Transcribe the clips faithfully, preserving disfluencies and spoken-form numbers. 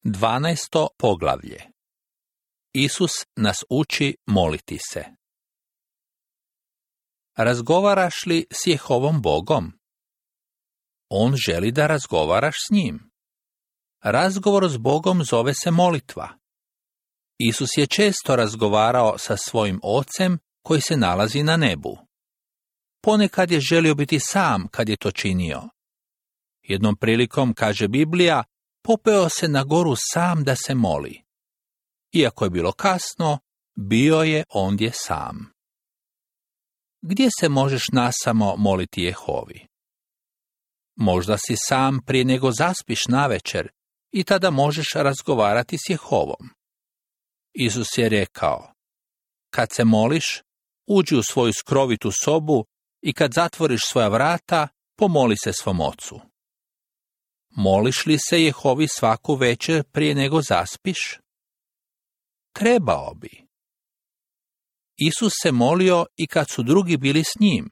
Dvanaesto poglavlje. Isus nas uči moliti se. Razgovaraš li s Jehovom Bogom? On želi da razgovaraš s njim. Razgovor s Bogom zove se molitva. Isus je često razgovarao sa svojim Ocem koji se nalazi na nebu. Ponekad je želio biti sam kad je to činio. Jednom prilikom, kaže Biblija, popeo se na goru sam da se moli. Iako je bilo kasno, bio je ondje sam. Gdje se možeš nasamo moliti Jehovi? Možda si sam prije nego zaspiš navečer i tada možeš razgovarati s Jehovom. Isus je rekao, kad se moliš, uđi u svoju skrovitu sobu i kad zatvoriš svoja vrata, pomoli se svom Ocu. Moliš li se Jehovi svaku večer prije nego zaspiš? Trebao bi. Isus se molio i kad su drugi bili s njim.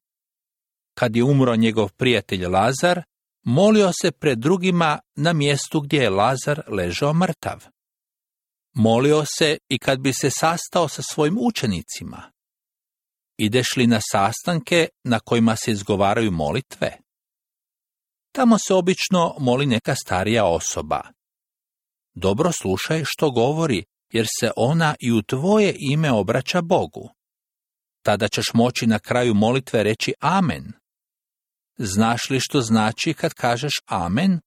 Kad je umro njegov prijatelj Lazar, molio se pred drugima na mjestu gdje je Lazar ležao mrtav. Molio se i kad bi se sastao sa svojim učenicima. Ideš li na sastanke na kojima se izgovaraju molitve? Tamo se obično moli neka starija osoba. Dobro slušaj što govori, jer se ona i u tvoje ime obraća Bogu. Tada ćeš moći na kraju molitve reći amen. Znaš li što znači kad kažeš amen?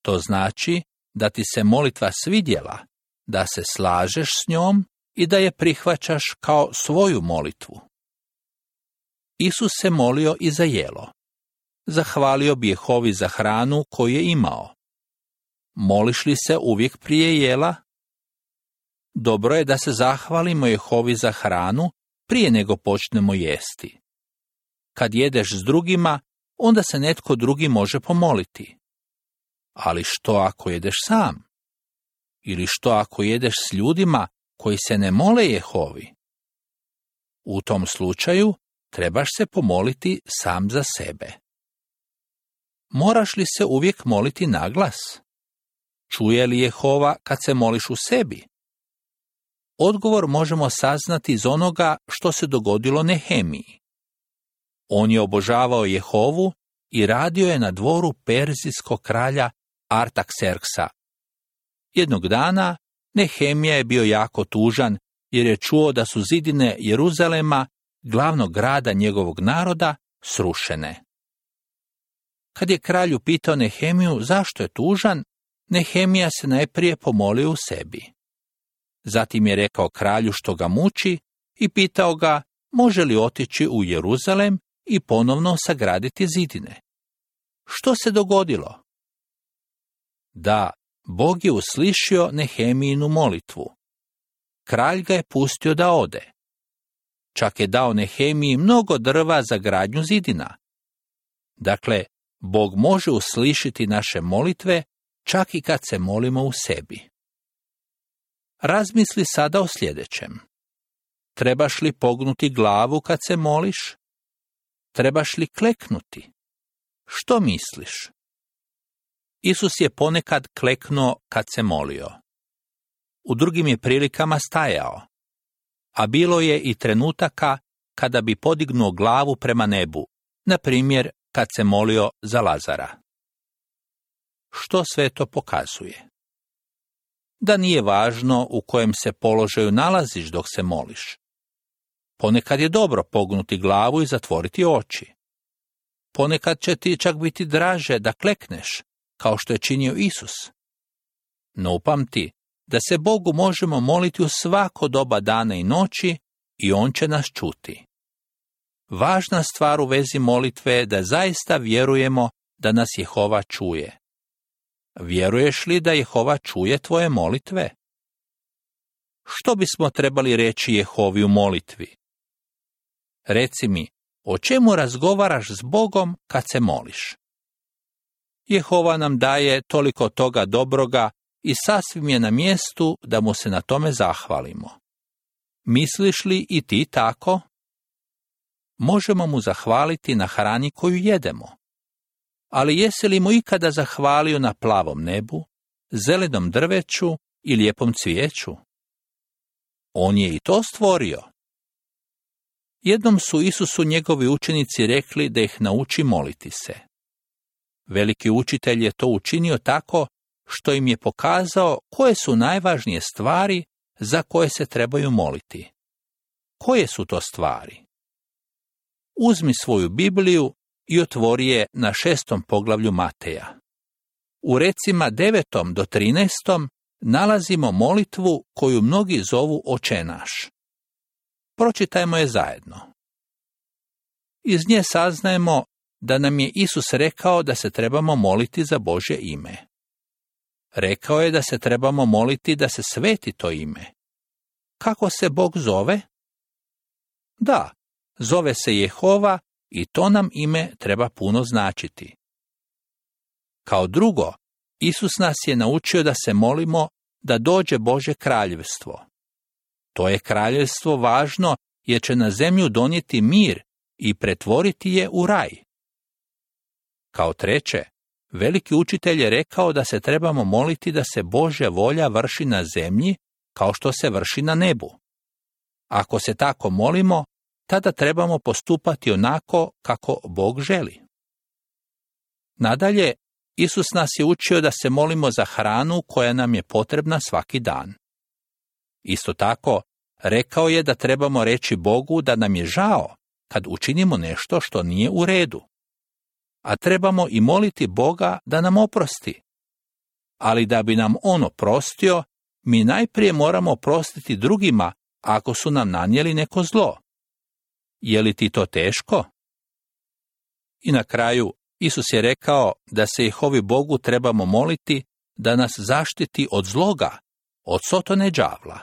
To znači da ti se molitva svidjela, da se slažeš s njom i da je prihvaćaš kao svoju molitvu. Isus se molio i za jelo. Zahvalio bi Jehovi za hranu koju je imao. Moliš li se uvijek prije jela? Dobro je da se zahvalimo Jehovi za hranu prije nego počnemo jesti. Kad jedeš s drugima, onda se netko drugi može pomoliti. Ali što ako jedeš sam? Ili što ako jedeš s ljudima koji se ne mole Jehovi? U tom slučaju trebaš se pomoliti sam za sebe. Moraš li se uvijek moliti naglas? Čuje li Jehova kad se moliš u sebi? Odgovor možemo saznati iz onoga što se dogodilo Nehemiji. On je obožavao Jehovu i radio je na dvoru perzijskog kralja Artakserksa. Jednog dana Nehemija je bio jako tužan jer je čuo da su zidine Jeruzalema, glavnog grada njegovog naroda, srušene. Kad je kralj upitao Nehemiju zašto je tužan, Nehemija se najprije pomolio u sebi. Zatim je rekao kralju što ga muči i pitao ga može li otići u Jeruzalem i ponovno sagraditi zidine. Što se dogodilo? Da, Bog je uslišio Nehemijinu molitvu. Kralj ga je pustio da ode. Čak je dao Nehemiji mnogo drva za gradnju zidina. Dakle, Bog može uslišiti naše molitve čak i kad se molimo u sebi. Razmisli sada o sljedećem. Trebaš li pognuti glavu kad se moliš? Trebaš li kleknuti? Što misliš? Isus je ponekad kleknuo kad se molio. U drugim je prilikama stajao. A bilo je i trenutaka kada bi podignuo glavu prema nebu, na primjer kad se molio za Lazara. Što sve to pokazuje? Da nije važno u kojem se položaju nalaziš dok se moliš. Ponekad je dobro pognuti glavu i zatvoriti oči. Ponekad će ti čak biti draže da klekneš, kao što je činio Isus. No upamti da se Bogu možemo moliti u svako doba dana i noći i On će nas čuti. Važna stvar u vezi molitve je da zaista vjerujemo da nas Jehova čuje. Vjeruješ li da Jehova čuje tvoje molitve? Što bismo trebali reći Jehovi u molitvi? Reci mi, o čemu razgovaraš s Bogom kad se moliš? Jehova nam daje toliko toga dobroga i sasvim je na mjestu da mu se na tome zahvalimo. Misliš li i ti tako? Možemo mu zahvaliti na hrani koju jedemo. Ali jesi li mu ikada zahvalio na plavom nebu, zelenom drveću i lijepom cvijeću? On je i to stvorio. Jednom su Isusu njegovi učenici rekli da ih nauči moliti se. Veliki učitelj je to učinio tako što im je pokazao koje su najvažnije stvari za koje se trebaju moliti. Koje su to stvari? Uzmi svoju Bibliju i otvori je na šestom poglavlju Mateja. U recima devetom do trinaestom nalazimo molitvu koju mnogi zovu Oče naš. Pročitajmo je zajedno. Iz nje saznajemo da nam je Isus rekao da se trebamo moliti za Božje ime. Rekao je da se trebamo moliti da se sveti to ime. Kako se Bog zove? Da, zove se Jehova i to nam ime treba puno značiti. Kao drugo, Isus nas je naučio da se molimo da dođe Božje kraljevstvo. To je kraljevstvo važno jer će na zemlju donijeti mir i pretvoriti je u raj. Kao treće, veliki učitelj je rekao da se trebamo moliti da se Božja volja vrši na zemlji kao što se vrši na nebu. Ako se tako molimo, tada trebamo postupati onako kako Bog želi. Nadalje, Isus nas je učio da se molimo za hranu koja nam je potrebna svaki dan. Isto tako, rekao je da trebamo reći Bogu da nam je žao kad učinimo nešto što nije u redu. A trebamo i moliti Boga da nam oprosti. Ali da bi nam On oprostio, mi najprije moramo oprostiti drugima ako su nam nanijeli neko zlo. Je li ti to teško? I na kraju, Isus je rekao da se Jehovi Bogu trebamo moliti da nas zaštiti od zloga, od sotone đavla.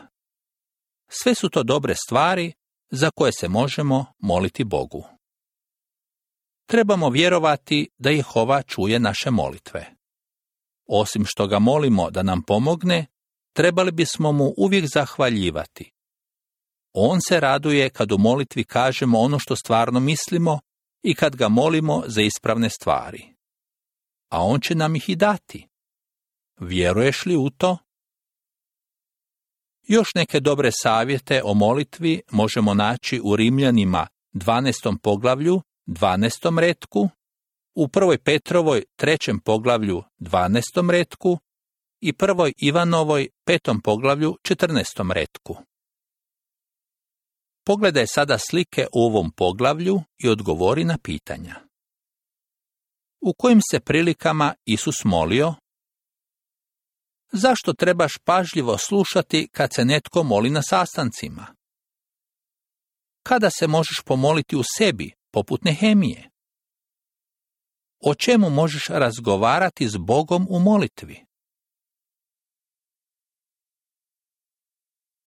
Sve su to dobre stvari za koje se možemo moliti Bogu. Trebamo vjerovati da Jehova čuje naše molitve. Osim što ga molimo da nam pomogne, trebali bismo mu uvijek zahvaljivati. On se raduje kad u molitvi kažemo ono što stvarno mislimo i kad ga molimo za ispravne stvari. A on će nam ih i dati. Vjeruješ li u to? Još neke dobre savjete o molitvi možemo naći u Rimljanima dvanaestom poglavlju, dvanaestom retku, u prvoj Petrovoj trećem poglavlju, dvanaestom retku i prvoj Ivanovoj petom poglavlju, četrnaestom retku. Pogledaj sada slike u ovom poglavlju i odgovori na pitanja. U kojim se prilikama Isus molio? Zašto trebaš pažljivo slušati kad se netko moli na sastancima? Kada se možeš pomoliti u sebi, poput Nehemije? O čemu možeš razgovarati s Bogom u molitvi?